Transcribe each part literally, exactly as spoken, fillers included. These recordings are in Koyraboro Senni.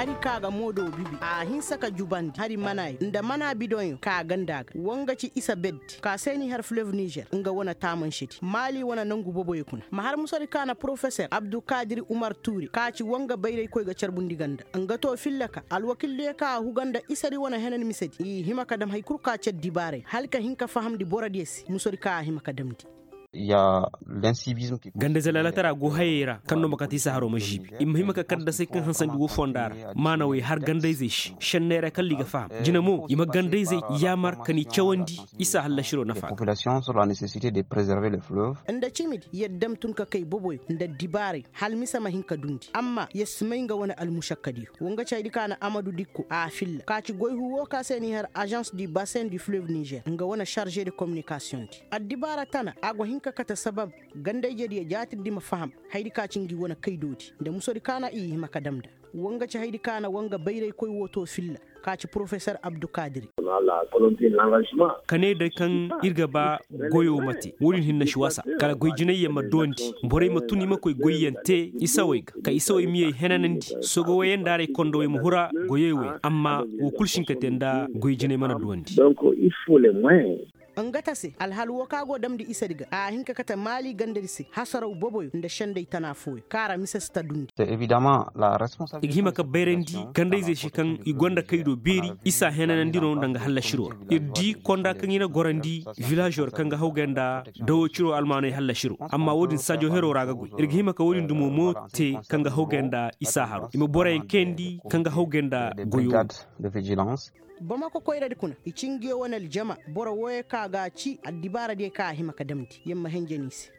Hari ka ga moodo bibi a hinsa ka jubandi hari manaayo nda mana bidoŋyo ka ganda ga wa nga ci isa beddi ka se n'i har fleuve nizer nga wane taamansedi maali wane nangu boboyo kuna ma har musadi ka na porofeser abdulkadir umar tuure ka ci wa nga bayraykoy ga carbundi ganda nga to filla ka alwakildiyo ka a huga nda isadi wane henan misedi i hima ka dam hari kul ka ci addibaaray hala ka hin ka fahamndi borodiyo se musadi ka a hima ka damndi. Gandayze laalatara go hayey ra kaŋ no ma kate isa haro ma žiibi i ma hima ka kaddasey kaŋ hansandi woo fonda ra maanawey har gandayzey se šenney ra kala i ga faham jine mo i ma gandayzey yaamar ka ni cawandi isa hallasiro nafa ga. Nda cimidi yer dam tun ka kay boboyo nda dibaaray hala mise ma hin ka dundi amma yer si may nga wane almušakkadiyo. Woo nga ci haydi ka na amadu dikko a filla ka ci goy huu woo ka se n'i har azans du basin du fleuve nizer nga wane sarže de kominikasiyoŋ di addibaara tana a go hin ka kate sabab ganda-ijediyo jaatirdi ma faham haydi ka ci ngi wane kaydoodi nda musodi ka na i hima ka dam nda woo nga ci haydi ka na woo nga bayraykoy woo too filla ka ci porofesor abdukaadiri. Ka ne day kaŋ ir ga ba goyoo ma te woo din hinne si wasa kala goy jinayyaŋ ma duwandi borey ma tun i ma koy goyyaŋ te isawey ga ka isawey miyey henanandi sogo woyey nda aray kondowey ma hura goyey woy amma woo kul si hin ka te nda goy jinay mana duwandi. Nga ta se alhal woo kaŋ a go damndi isadi ga a hin ka kate maali gandadi se hasaraw boboyo nda sendey tana fooyo kaŋ a ra mise si ta dundi. I ga hima ka bayrandi gandayzey se kaŋ i gonda kaydo beeri isa henanandi no nda nga hallasiroo ra ir di konda kaŋ i na gorandi vilaazo ra kaŋ ga hawgay nda dawo ciro almaaney hallasiroo amma woodin sajo heroo ra ga goy ir ga hima ka woodin dumo mo te kaŋ ga hawgay nda isa haroo i ma boroyaŋ kayandi kaŋ ga hawgay nda goyoo. Bamako koyradi kuna i ci ngiyo wane aljama boro wooyo ka ga ci addibaaradiyo ka a hima ka damndi yer ma henjen i se.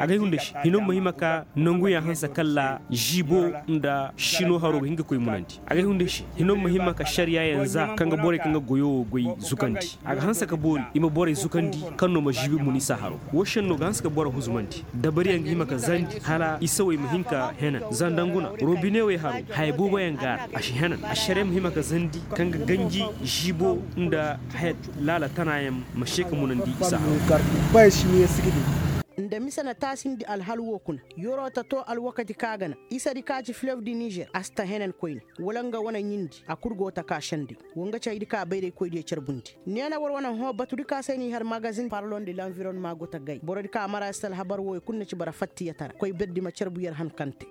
Agay hunda se hino ma hima ka nanguyaŋ hanse kalla ziibo nda sino haro ga hin ka koy munandi agay hunda se hino ma hima ka sariya yaŋ za kaŋ ga borey kaŋ ga goyo wo goy zukandi a ga hanse ka boori i ma borey zukandi kaŋ no ma ziibi mun isa haro wo senno ga hanse ka boro huzumandi dabariyaŋ ga hima ka zandi hala isawey ma hin ka henan zandanguna robinewey haro haya booboyaŋ ga a ra a si henan ašariya ma hima ka zandi kaŋ ga ganji ziibo nda haya laala tanayaŋ ma se ka munandi isa haro. Nda mise na taasindi alhal woo kuna yoroo ta too alwakati ka ga na isadi ka ci filev di nizer a si ta henan koyne wala nga wane ɲindi a kul go ta ka sendey woo nga ci haydi ka bayraykoydiyo carbundi neena war wane hõ batudi ka se n'i har magazin parlon de lanvironma go ta gay borodi ka mara yer se alhabar wooyo kul na ci bara fattiyatara koy berdi ma carbu yer han kaŋ te.